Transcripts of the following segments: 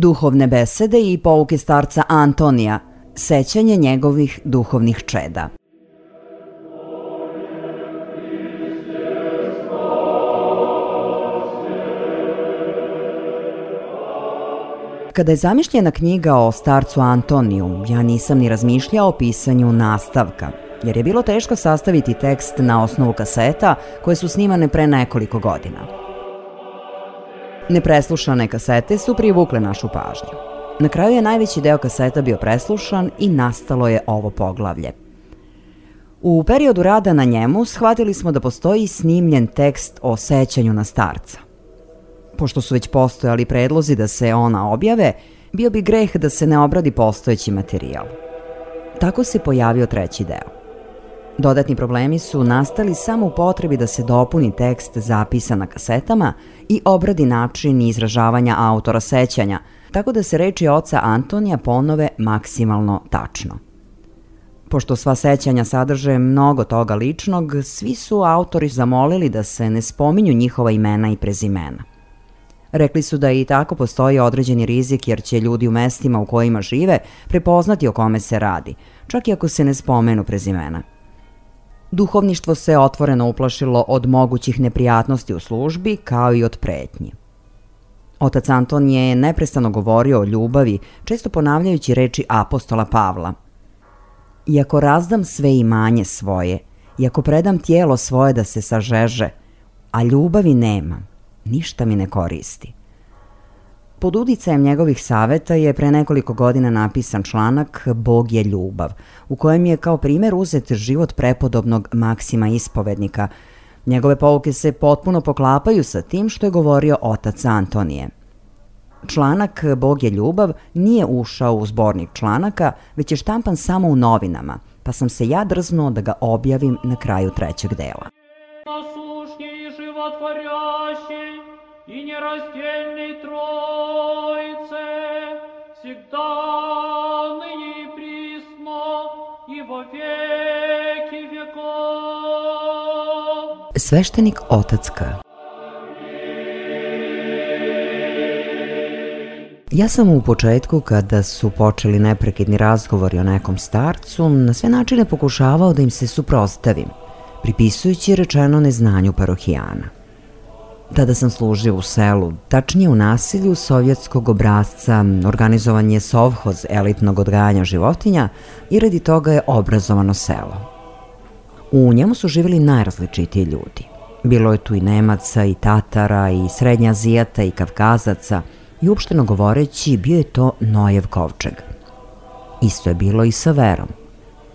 Duhovne besede i pouke starca Antonija, sećanje njegovih duhovnih čeda. Kada je zamišljena knjiga o starcu Antoniju, ja nisam ni razmišljao o pisanju nastavka, jer je bilo teško sastaviti tekst na osnovu kaseta koje su snimane pre nekoliko godina. Nepreslušane kasete su privukle našu pažnju. Na kraju je najveći deo kaseta bio preslušan i nastalo je ovo poglavlje. U periodu rada na njemu shvatili smo da postoji snimljen tekst o sećanju na starca. Pošto su već postojali predlozi da se ona objave, bio bi greh da se ne obradi postojeći materijal. Tako se pojavio treći deo. Dodatni problemi su nastali samo u potrebi da se dopuni tekst zapisan na kasetama i obradi način izražavanja autora sećanja, tako da se reči oca Antonija ponove maksimalno tačno. Pošto sva sećanja sadrže mnogo toga ličnog, svi su autori zamolili da se ne spominju njihova imena i prezimena. Rekli su da i tako postoji određeni rizik jer će ljudi u mestima u kojima žive prepoznati o kome se radi, čak i ako se ne spomenu prezimena. Duhovništvo se otvoreno uplašilo od mogućih neprijatnosti u službi kao i od pretnji. Otac Anton je neprestano govorio o ljubavi, često ponavljajući reči apostola Pavla. Iako razdam sve imanje svoje, iako predam tijelo svoje da se sažeže, a ljubavi nemam, ništa mi ne koristi. Pod uticajem njegovih saveta je pre nekoliko godina napisan članak Bog je ljubav, u kojem je kao primjer uzet život prepodobnog Maksima Ispovednika. Njegove pouke se potpuno poklapaju sa tim što je govorio otac Antonije. Članak Bog je ljubav nije ušao u zbornik članaka, već je štampan samo u novinama, pa sam se ja drznuo da ga objavim na kraju trećeg dela. И нераздельной Троице, всегда ныне и присно, и во веки веков. Sveštenik otac K. Ja sam u početku, kada su počeli neprekidni razgovori o nekom starcu, na sve načine pokušavao da im se suprotstavim, pripisujući rečeno neznanju parohijana. Tada sam služio u selu, tačnije u naselju sovjetskog obrazca, organizovan je sovhoz elitnog odgajanja životinja i radi toga je obrazovano selo. U njemu su živjeli najrazličitiji ljudi. Bilo je tu i Nemaca, i Tatara, i Srednjazijata, i Kavkazaca, i uopšteno govoreći bio je to Nojev kovčeg. Isto je bilo i sa verom.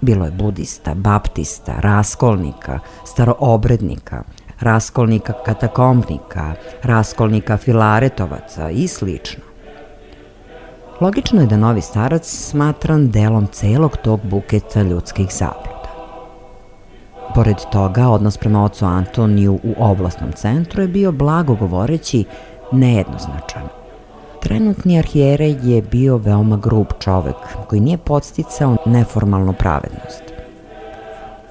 Bilo je budista, baptista, raskolnika, staroobrednika, raskolnika katakombnika, raskolnika filaretovaca i slično. Logično je da novi starac smatran delom celog tog buketa ljudskih zabluda. Pored toga, odnos prema ocu Antoniju u oblasnom centru je bio, blago govoreći, nejednoznačan. Trenutni arhijerej je bio veoma grub čovek koji nije podsticao neformalnu pravednost.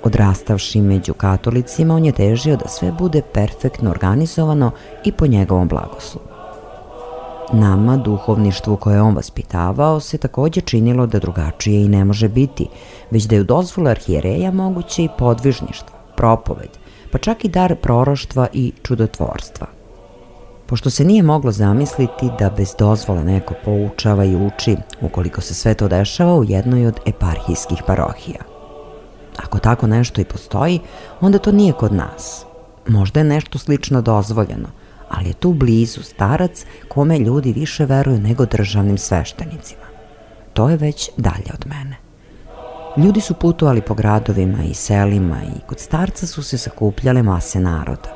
Odrastavši među katolicima, on je težio da sve bude perfektno organizovano i po njegovom blagoslovu. Nama, duhovništvu koje je on vaspitavao, se također činilo da drugačije i ne može biti, već da je u dozvolu arhijereja moguće i podvižništvo, propoved, pa čak i dar proroštva i čudotvorstva. Pošto se nije moglo zamisliti da bez dozvole neko poučava i uči, ukoliko se sve to dešava u jednoj od eparhijskih parohija. Ako tako nešto i postoji, onda to nije kod nas. Možda je nešto slično dozvoljeno, ali je tu blizu starac kome ljudi više veruju nego državnim sveštenicima. To je već dalje od mene. Ljudi su putovali po gradovima i selima i kod starca su se sakupljale mase naroda,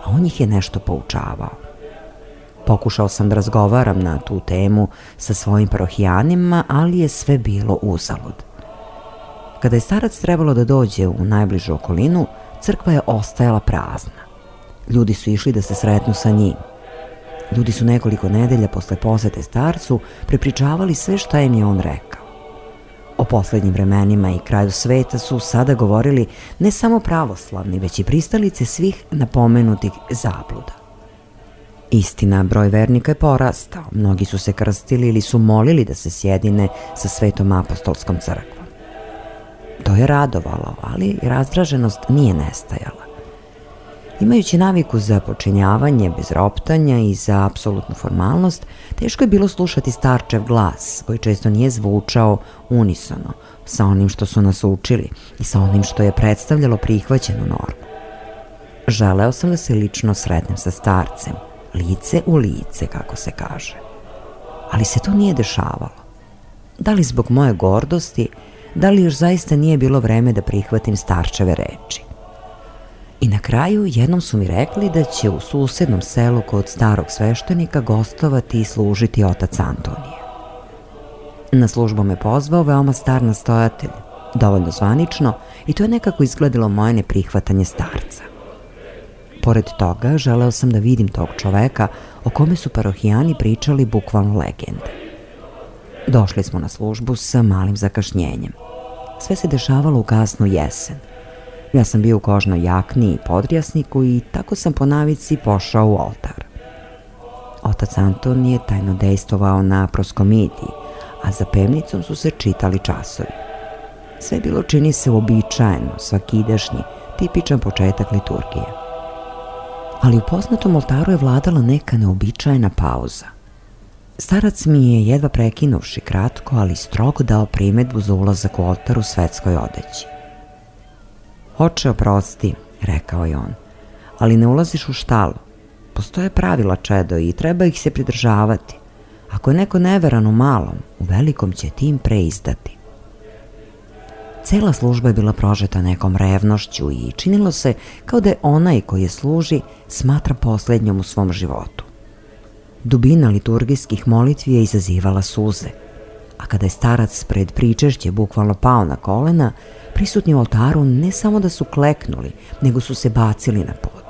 a on ih je nešto poučavao. Pokušao sam da razgovaram na tu temu sa svojim parohijanima, ali je sve bilo uzalud. Kada je starac trebalo da dođe u najbližu okolinu, crkva je ostajala prazna. Ljudi su išli da se sretnu sa njim. Ljudi su nekoliko nedelja posle posete starcu prepričavali sve šta im je on rekao. O poslednjim vremenima i kraju sveta su sada govorili ne samo pravoslavni, već i pristalice svih napomenutih zabluda. Istina, broj vernika je porastao, mnogi su se krstili ili su molili da se sjedine sa Svetom apostolskom crkvom. To je radovalo, ali razdraženost nije nestajala. Imajući naviku za počinjavanje bez roptanja i za apsolutnu formalnost, teško je bilo slušati starčev glas, koji često nije zvučao unisono sa onim što su nas učili i sa onim što je predstavljalo prihvaćenu normu. Želeo sam da se lično sretnem sa starcem, lice u lice, kako se kaže. Ali se to nije dešavalo. Da li zbog moje gordosti, da li još zaista nije bilo vreme da prihvatim starčeve reči. I na kraju jednom su mi rekli da će u susednom selu kod starog sveštenika gostovati i služiti otac Antonije. Na službu me pozvao veoma star nastojatelj, dovoljno zvanično, i to je nekako izgledalo moje neprihvatanje starca. Pored toga, želeo sam da vidim tog čoveka o kome su parohijani pričali bukvalno legende. Došli smo na službu sa malim zakašnjenjem. Sve se dešavalo u kasnu jesen. Ja sam bio u kožnoj jakni i podrjasniku i tako sam po navici pošao u oltar. Otac Anton je tajno dejstvovao na proskomidiji, a za pevnicom su se čitali časovi. Sve bilo čini se uobičajeno, svakidašnji, tipičan početak liturgije. Ali u poznatom oltaru je vladala neka neobičajna pauza. Starac mi je, jedva prekinuvši kratko, ali strogo dao primedbu za ulazak u oltar u svetskoj odeći. Oče, oprosti, rekao je on, ali ne ulaziš u štalu. Postoje pravila, čedo, i treba ih se pridržavati. Ako je neko neveran u malom, u velikom će tim preizdati. Cela služba je bila prožeta nekom revnošću i činilo se kao da je onaj koji je služi smatra posljednjom u svom životu. Dubina liturgijskih molitvi je izazivala suze, a kada je starac pred pričešće bukvalno pao na kolena, prisutni u oltaru ne samo da su kleknuli, nego su se bacili na pod.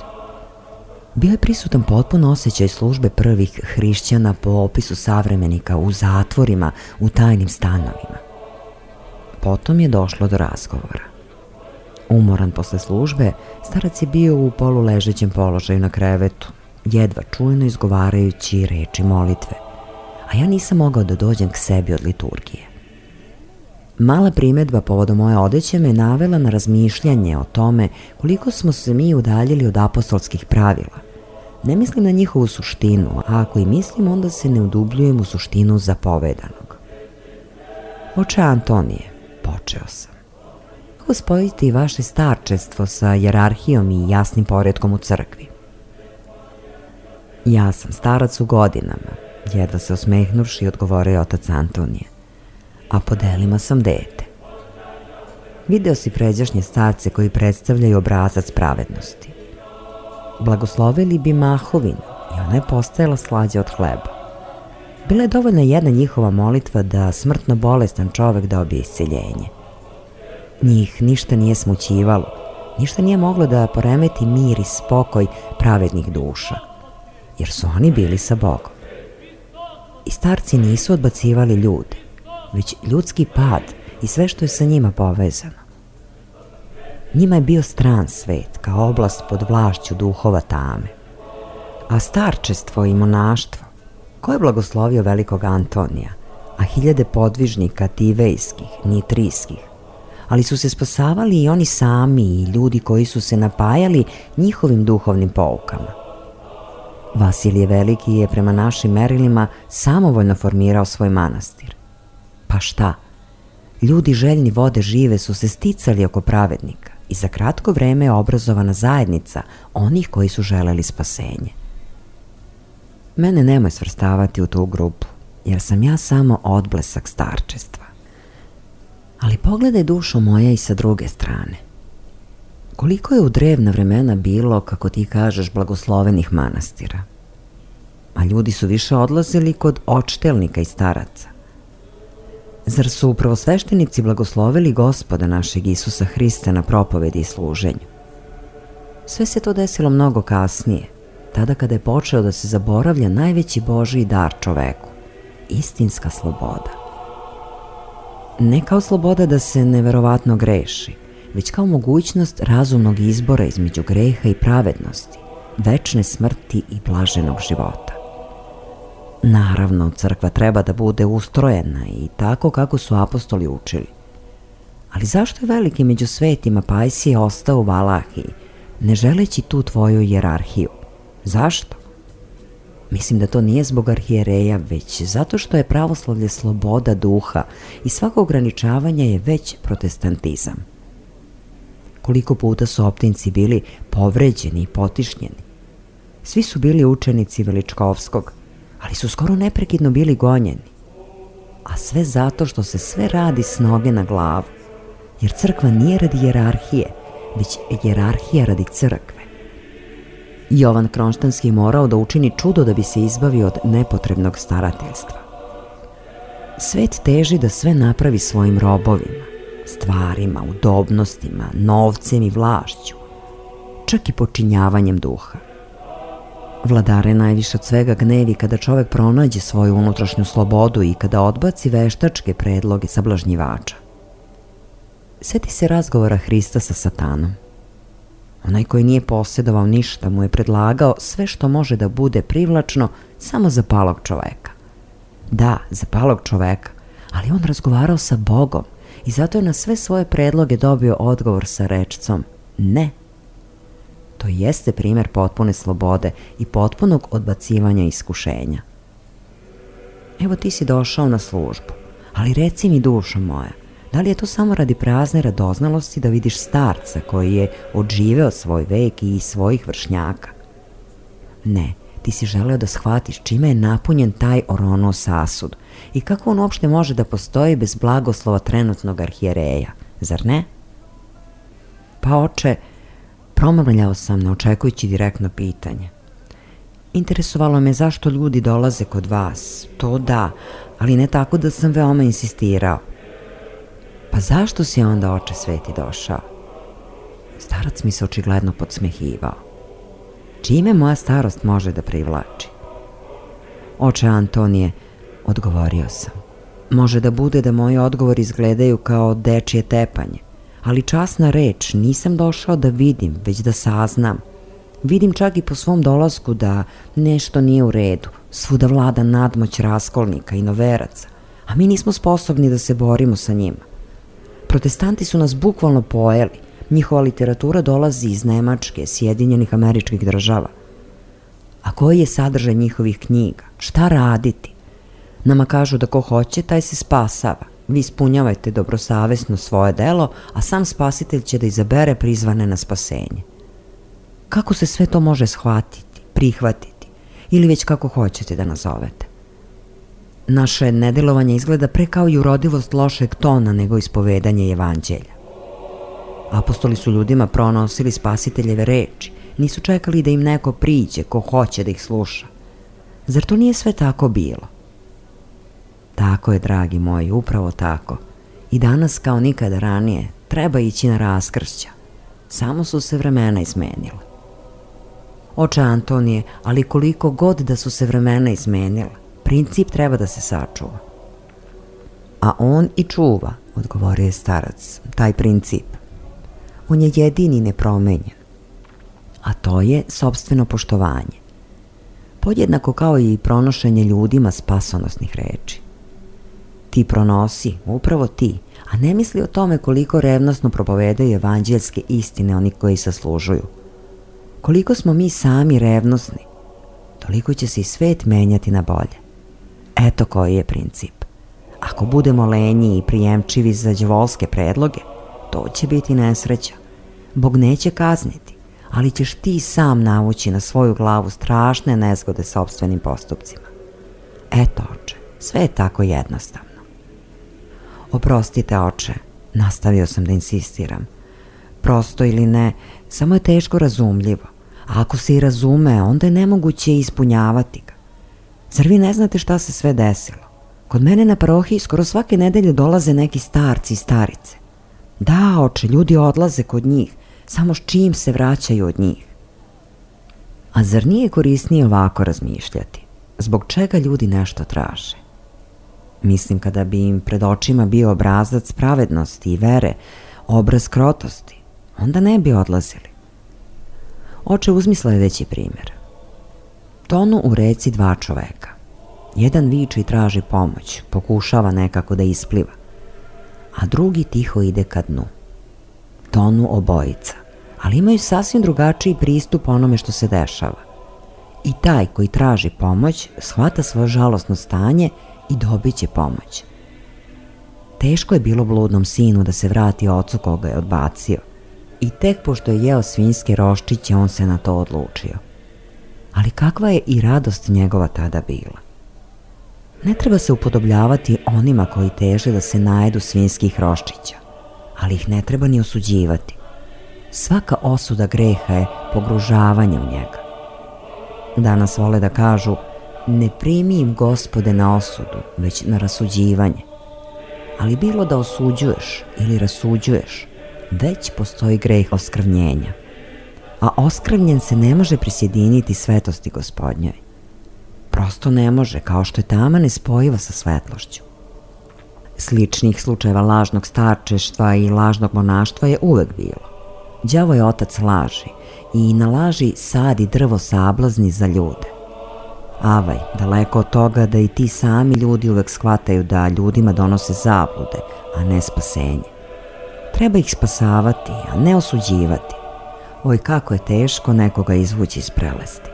Bio je prisutan potpuno osjećaj službe prvih hrišćana po opisu savremenika u zatvorima, u tajnim stanovima. Potom je došlo do razgovora. Umoran posle službe, starac je bio u poluležećem položaju na krevetu, jedva čujno izgovarajući reči molitve, a ja nisam mogao da dođem k sebi od liturgije. Mala primedba povodom moje odeće me navela na razmišljanje o tome koliko smo se mi udaljili od apostolskih pravila. Ne mislim na njihovu suštinu, a ako i mislim, onda se ne udubljujem u suštinu zapovedanog. Oče Antonije, počeo sam. Kako spojiti vaše starčestvo sa jerarhijom i jasnim poretkom u crkvi? Ja sam starac u godinama, jedva se osmehnuvši, odgovorio otac Antonije, a po delima sam dete. Video si pređašnje starce koji predstavljaju obrazac pravednosti. Blagoslovili bi mahovinu i ona je postajala slađa od hleba. Bila je dovoljna jedna njihova molitva da smrtno bolestan čovek dobije isceljenje. Njih ništa nije smućivalo, ništa nije moglo da poremeti mir i spokoj pravednih duša, jer su oni bili sa Bogom. I starci nisu odbacivali ljude, već ljudski pad i sve što je sa njima povezano. Njima je bio stran svet, kao oblast pod vlašću duhova tame. A starčestvo i monaštvo, ko je blagoslovio velikog Antonija, a hiljade podvižnika tivejskih, nitrijskih, ali su se spasavali i oni sami i ljudi koji su se napajali njihovim duhovnim poukama. Vasilije Veliki je prema našim merilima samovoljno formirao svoj manastir. Pa šta? Ljudi željni vode žive su se sticali oko pravednika i za kratko vreme je obrazovana zajednica onih koji su želeli spasenje. Mene nemoj svrstavati u tu grupu, jer sam ja samo odblesak starčestva. Ali pogledaj, dušo moja, i sa druge strane. Koliko je u drevna vremena bilo, kako ti kažeš, blagoslovenih manastira? A ljudi su više odlazili kod odštelnika i staraca. Zar su prvosveštenici blagoslovili Gospoda našeg Isusa Hrista na propovedi i služenju? Sve se to desilo mnogo kasnije, tada kada je počeo da se zaboravlja najveći Božji dar čoveku, istinska sloboda. Ne kao sloboda da se neverovatno greši, već kao mogućnost razumnog izbora između greha i pravednosti, večne smrti i blaženog života. Naravno, crkva treba da bude ustrojena i tako kako su apostoli učili. Ali zašto je veliki među svetima Pajsije ostao u Valahiji, ne želeći tu tvoju hijerarhiju? Zašto? Mislim da to nije zbog arhijereja, već zato što je pravoslavlje sloboda duha i svako ograničavanje je već protestantizam. Koliko puta su optinci bili povređeni i potišnjeni. Svi su bili učenici Veličkovskog, ali su skoro neprekidno bili gonjeni. A sve zato što se sve radi s noge na glavu, jer crkva nije radi hijerarhije, već hijerarhija radi crkve. Jovan Kronštanski morao da učini čudo da bi se izbavio od nepotrebnog starateljstva. Svet teži da sve napravi svojim robovima, stvarima, udobnostima, novcem i vlašću, čak i počinjavanjem duha. Vladare najviše od svega gnevi kada čovek pronađe svoju unutrašnju slobodu i kada odbaci veštačke predloge sablažnjivača. Sjeti se razgovora Hrista sa Satanom. Onaj koji nije posjedovao ništa mu je predlagao sve što može da bude privlačno samo za palog čoveka. Da, za palog čoveka, ali on razgovarao sa Bogom i zato je na sve svoje predloge dobio odgovor sa rečcom ne. To jeste primjer potpune slobode i potpunog odbacivanja iskušenja. Evo ti si došao na službu, ali reci mi, dušo moja, da li je to samo radi prazne radoznalosti da vidiš starca koji je odživeo svoj vek i svojih vršnjaka? Ne, ti si želeo da shvatiš čime je napunjen taj Orono sasud i kako on uopšte može da postoji bez blagoslova trenutnog arhijereja, zar ne? Pa oče, promrmljao sam ne očekujući direktno pitanje. Interesovalo me zašto ljudi dolaze kod vas, to da, ali ne tako da sam veoma insistirao. Pa zašto si onda, oče sveti, došao? Starac mi se očigledno podsmehivao. Čime moja starost može da privlači? Oče Antonije, odgovorio sam. Može da bude da moji odgovori izgledaju kao dečije tepanje, ali časna reč, nisam došao da vidim, već da saznam. Vidim čak i po svom dolasku da nešto nije u redu, svuda vlada nadmoć raskolnika i noveraca, a mi nismo sposobni da se borimo sa njima. Protestanti su nas bukvalno pojeli, njihova literatura dolazi iz Nemačke, Sjedinjenih Američkih Država. A koji je sadržaj njihovih knjiga? Šta raditi? Nama kažu da ko hoće, taj se spasava. Vi ispunjavajte dobrosavesno svoje delo, a sam spasitelj će da izabere prizvane na spasenje. Kako se sve to može shvatiti, prihvatiti, ili već kako hoćete da nazovete? Naše nedelovanje izgleda pre kao i urodivost lošeg tona nego ispovedanje evanđelja. Apostoli su ljudima pronosili spasiteljeve reči, nisu čekali da im neko priđe ko hoće da ih sluša. Zar to nije sve tako bilo? Tako je, dragi moji, upravo tako. I danas kao nikada ranije treba ići na raskršća. Samo su se vremena izmenila. Oče Antonije, ali koliko god da su se vremena izmenila, princip treba da se sačuva. A on i čuva, odgovorio je starac, taj princip. On je jedini nepromenjen. A to je sopstveno poštovanje. Podjednako kao i pronošenje ljudima spasonosnih reči. Ti pronosi, upravo ti, a ne misli o tome koliko revnosno propovedaju evanđeljske istine oni koji zaslužuju. Koliko smo mi sami revnosni, toliko će se i svet menjati na bolje. Eto koji je princip. Ako budemo lenji i prijemčivi za đavolske predloge, to će biti nesreća. Bog neće kazniti, ali ćeš ti sam navući na svoju glavu strašne nezgode sopstvenim postupcima. Eto, oče, sve je tako jednostavno. Oprostite, oče, nastavio sam da insistiram. Prosto ili ne, samo je teško razumljivo. A ako se i razume, onda je nemoguće ispunjavati ga. Zar vi ne znate šta se sve desilo? Kod mene na parohiji skoro svake nedelje dolaze neki starci i starice. Da, oče, ljudi odlaze kod njih, samo s čim se vraćaju od njih. A zar nije korisnije ovako razmišljati? Zbog čega ljudi nešto traže? Mislim, kada bi im pred očima bio obrazac pravednosti i vere, obraz krotosti, onda ne bi odlazili. Oče, uzmi sledeći primjer. Tonu u reci dva čoveka. Jedan viče i traži pomoć, pokušava nekako da ispliva, a drugi tiho ide ka dnu. Tonu obojica, ali imaju sasvim drugačiji pristup onome što se dešava. I taj koji traži pomoć shvata svoje žalosno stanje i dobit će pomoć. Teško je bilo bludnom sinu da se vrati ocu koga je odbacio i tek pošto je jeo svinjske roščiće on se na to odlučio. Ali kakva je i radost njegova tada bila. Ne treba se upodobljavati onima koji teže da se najedu svinjskih roščića, ali ih ne treba ni osuđivati. Svaka osuda greha je pogružavanje u njega. Danas vole da kažu, ne primi im, Gospode, na osudu, već na rasuđivanje. Ali bilo da osuđuješ ili rasuđuješ, već postoji greh oskrvnjenja. A oskrvnjen se ne može prisjediniti svetosti Gospodnjoj. Prosto ne može, kao što je tama nespojiva sa svetlošću. Sličnih slučajeva lažnog starčeštva i lažnog monaštva je uvek bilo. Đavo je otac laži i na laži sadi drvo sablazni za ljude. Avaj, daleko od toga da i ti sami ljudi uvek shvataju da ljudima donose zablude, a ne spasenje. Treba ih spasavati, a ne osuđivati. Oj, kako je teško nekoga izvući iz prelesti.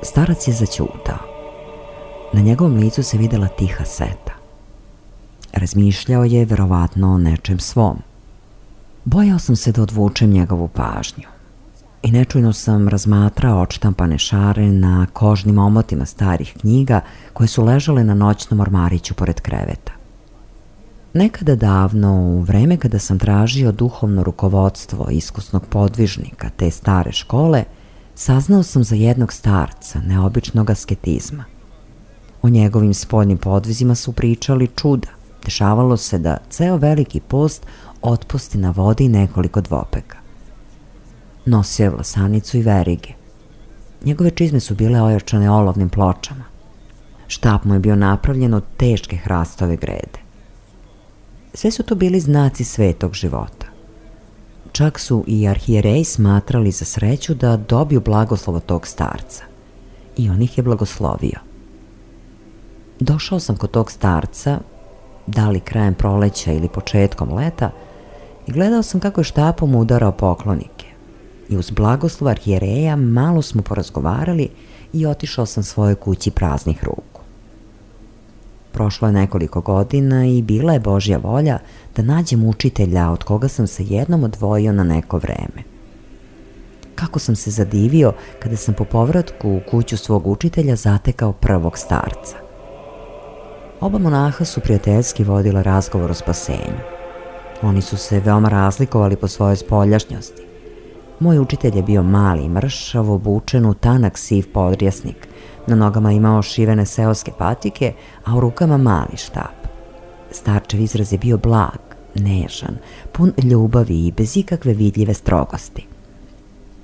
Starac je zaćutao. Na njegovom licu se videla tiha seta. Razmišljao je verovatno o nečem svom. Bojao sam se da odvučem njegovu pažnju i nečujno sam razmatrao odštampane šare na kožnim omotima starih knjiga koje su ležale na noćnom ormariću pored kreveta. Nekada davno, u vreme kada sam tražio duhovno rukovodstvo iskusnog podvižnika te stare škole, saznao sam za jednog starca neobičnog asketizma. O njegovim spoljnim podvizima su pričali čuda. Dešavalo se da ceo veliki post otpusti na vodi nekoliko dvopeka. Nosio je vlasanicu i verige. Njegove čizme su bile ojačane olovnim pločama. Štap mu je bio napravljen od teške hrastove grede. Sve su to bili znaci svetog života. Čak su i arhijereji smatrali za sreću da dobiju blagoslov od tog starca. I on ih je blagoslovio. Došao sam kod tog starca, da li krajem proleća ili početkom leta, i gledao sam kako je štapom udarao poklonike. I uz blagoslov arhijereja malo smo porazgovarali i otišao sam svojoj kući praznih ruku. Prošlo je nekoliko godina i bila je Božja volja da nađem učitelja od koga sam se jednom odvojio na neko vreme. Kako sam se zadivio kada sam po povratku u kuću svog učitelja zatekao prvog starca. Oba monaha su prijateljski vodila razgovor o spasenju. Oni su se veoma razlikovali po svojoj spoljašnjosti. Moj učitelj je bio mali i mršav, obučen u tanak siv podrjasnik. Na nogama imao šivene seoske patike, a u rukama mali štap. Starčev izraz je bio blag, nežan, pun ljubavi i bez ikakve vidljive strogosti.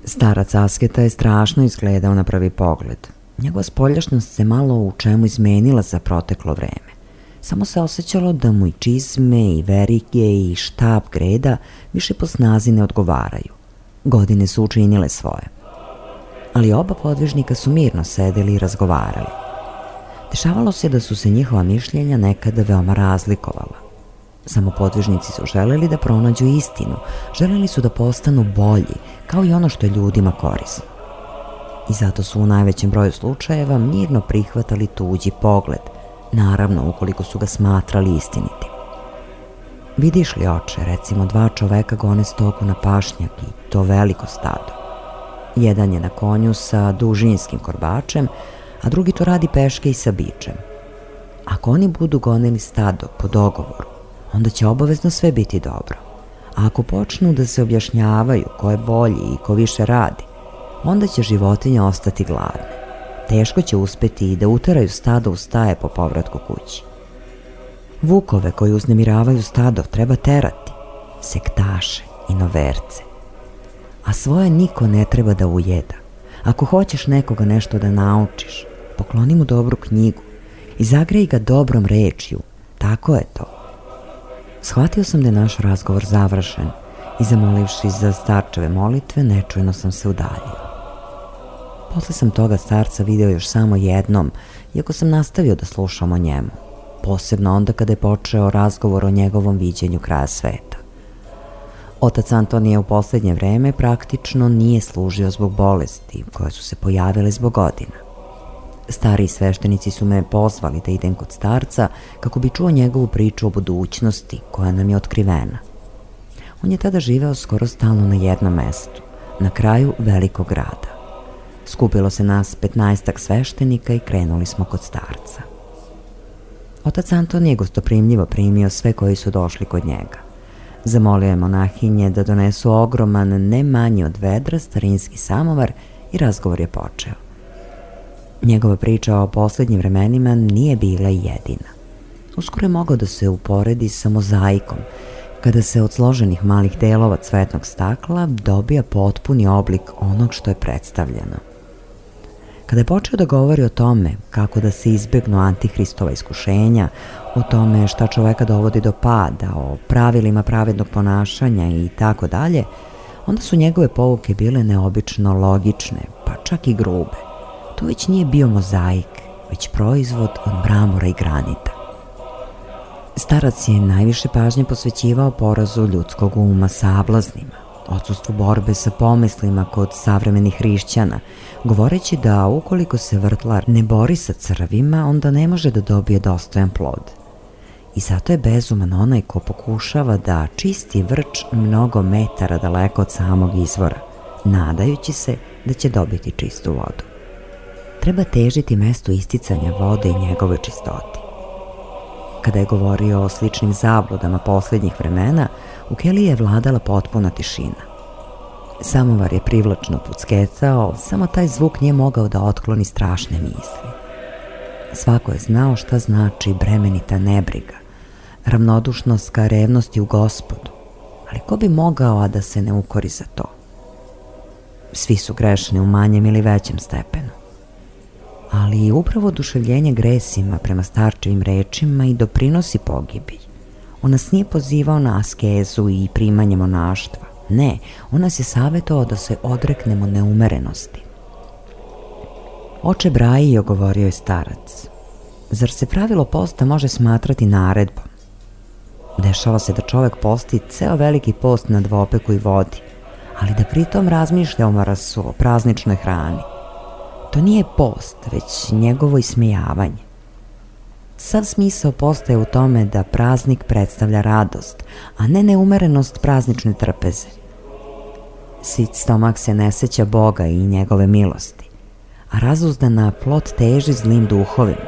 Starac asketa je strašno izgledao na prvi pogled. Njegova spoljašnjost se malo u čemu izmenila za proteklo vreme. Samo se osjećalo da mu i čizme, i verige, i štap greda više po snazi ne odgovaraju. Godine su učinile svoje. Ali oba podvižnika su mirno sedeli i razgovarali. Dešavalo se da su se njihova mišljenja nekada veoma razlikovala. Samo podvižnici su želeli da pronađu istinu, želeli su da postanu bolji, kao i ono što je ljudima korisno. I zato su u najvećem broju slučajeva mirno prihvatali tuđi pogled, naravno ukoliko su ga smatrali istinitim. Vidiš li, oče, recimo 2 čoveka gone stoku na pašnjak i to veliko stado. Jedan je na konju sa dužinskim korbačem, a drugi to radi peške i sa bičem. Ako oni budu gonili stado po dogovoru, onda će obavezno sve biti dobro. A ako počnu da se objašnjavaju ko je bolji i ko više radi, onda će životinje ostati gladne. Teško će uspeti i da uteraju stado u staje po povratku kući. Vukove koji uznemiravaju stado treba terati, sektaše i noverce. A svoje niko ne treba da ujeda. Ako hoćeš nekoga nešto da naučiš, pokloni mu dobru knjigu i zagreji ga dobrom rečju. Tako je to. Shvatio sam da je naš razgovor završen i zamolivši za starčeve molitve, nečujno sam se udaljio. Posle sam toga starca video još samo jednom, iako sam nastavio da slušam o njemu, posebno onda kada je počeo razgovor o njegovom viđenju kraja sveta. Otac Antonije u poslednje vreme praktično nije služio zbog bolesti koje su se pojavile zbog godina. Stariji sveštenici su me pozvali da idem kod starca kako bi čuo njegovu priču o budućnosti koja nam je otkrivena. On je tada živeo skoro stalno na jednom mestu, na kraju velikog grada. Skupilo se nas 15-ak sveštenika i krenuli smo kod starca. Otac Anton je gostoprimljivo primio sve koji su došli kod njega. Zamolio je monahinje da donesu ogroman, ne manji od vedra, starinski samovar i razgovor je počeo. Njegova priča o poslednjim vremenima nije bila jedina. Uskoro je mogao da se uporedi sa mozaikom, kada se od složenih malih delova cvetnog stakla dobija potpuni oblik onog što je predstavljeno. Kada je počeo da govori o tome kako da se izbegnu antihristova iskušenja, o tome šta čoveka dovodi do pada, o pravilima pravednog ponašanja i tako dalje, onda su njegove pouke bile neobično logične, pa čak i grube. To već nije bio mozaik, već proizvod od mramora i granita. Starac je najviše pažnje posvećivao porazu ljudskog uma sablaznima, odsustvu borbe sa pomislima kod savremenih hrišćana, govoreći da ukoliko se vrtlar ne bori sa crvima, onda ne može da dobije dostojan plod. I zato je bezuman onaj ko pokušava da čisti vrč mnogo metara daleko od samog izvora, nadajući se da će dobiti čistu vodu. Treba težiti mestu isticanja vode i njegove čistoti. Kada je govorio o sličnim zabludama poslednjih vremena, u keliji je vladala potpuna tišina. Samovar je privlačno pucketao, samo taj zvuk nije mogao da otkloni strašne misli. Svako je znao šta znači bremenita nebriga, ravnodušnost ka revnosti u Gospodu, ali ko bi mogao a da se ne ukori za to? Svi su grešni u manjem ili većem stepenu. Ali upravo oduševljenje gresima prema starčevim rečima i doprinosi pogibiji. On nas nije pozivao na askezu i primanje monaštva. Ne, on nas je savjetovao da se odreknemo neumerenosti. Oče Brajio, govorio je starac, zar se pravilo posta može smatrati naredbom? Dešava se da čovek posti ceo veliki post na dvopeku i vodi, ali da pritom razmišlja o marasu, o prazničnoj hrani. To nije post, već njegovo ismejavanje. Sav smisao posta je u tome da praznik predstavlja radost, a ne neumerenost praznične trpeze. Sit stomak se ne seća Boga i njegove milosti, a razuzdana plot teži zlim duhovima.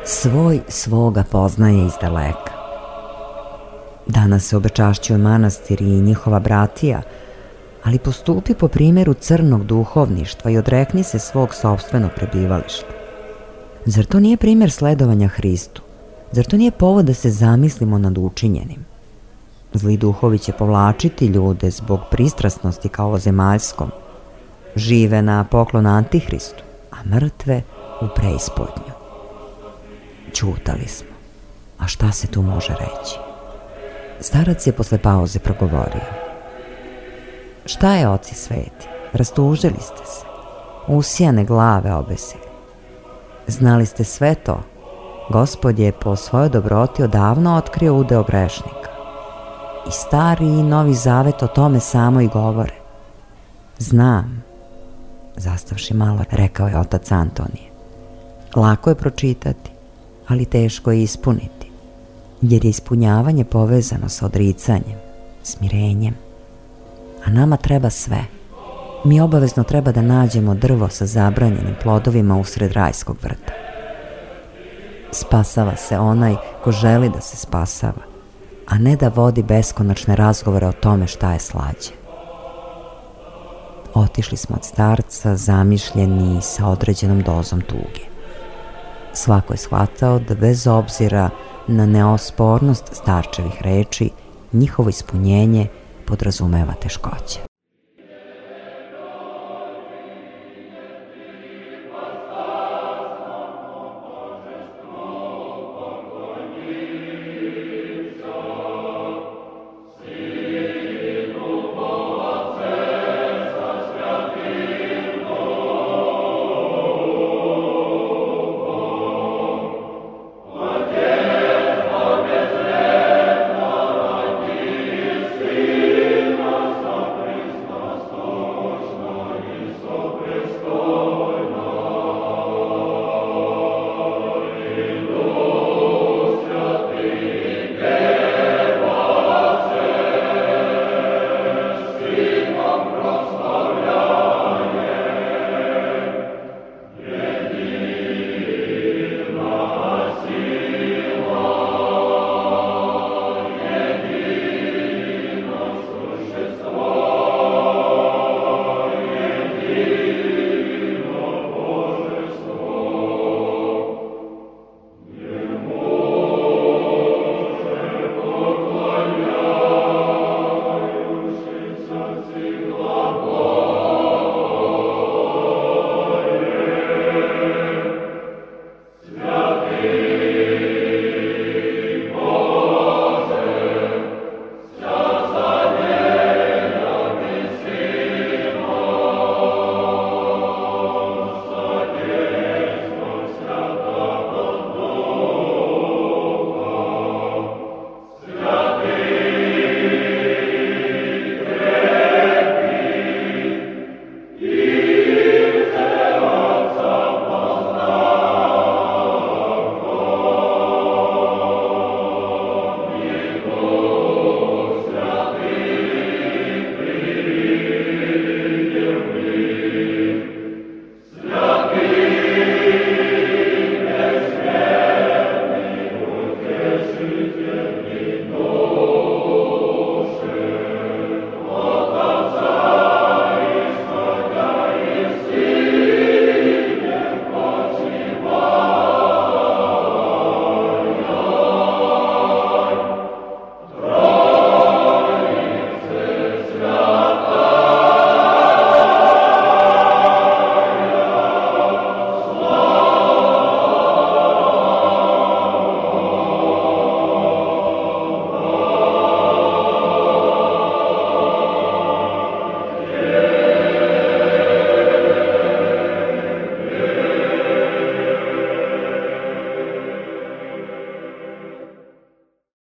Svoj svoga poznaje iz daleka. Danas se obečašćuje manastir i njihova bratija, ali postupi po primjeru crnog duhovništva i odrekni se svog sopstvenog prebivališta. Zar to nije primjer sledovanja Hristu? Zar to nije povod da se zamislimo nad učinjenim? Zli duhovi će povlačiti ljude zbog pristrasnosti ka ovozemaljskom. Žive na poklon Antihristu, a mrtve u preispodnju. Ćutali smo. A šta se tu može reći? Starac je posle pauze progovorio. Šta je, oci sveti? Rastužili ste se. Usijane glave obesili. Znali ste sve to? Gospod je po svojoj dobroti odavno otkrio udeo grešnika. I stari i novi zavet o tome samo i govore. Znam, zastavši malo, rekao je otac Antonije. Lako je pročitati, ali teško je ispuniti, jer je ispunjavanje povezano sa odricanjem, smirenjem. A nama treba sve. Mi obavezno treba da nađemo drvo sa zabranjenim plodovima usred rajskog vrta. Spasava se onaj ko želi da se spasava, a ne da vodi beskonačne razgovore o tome šta je slađe. Otišli smo od starca, zamišljeni sa određenom dozom tuge. Svako je shvatao da bez obzira na neospornost starčevih reči, njihovo ispunjenje podrazumeva teškoće.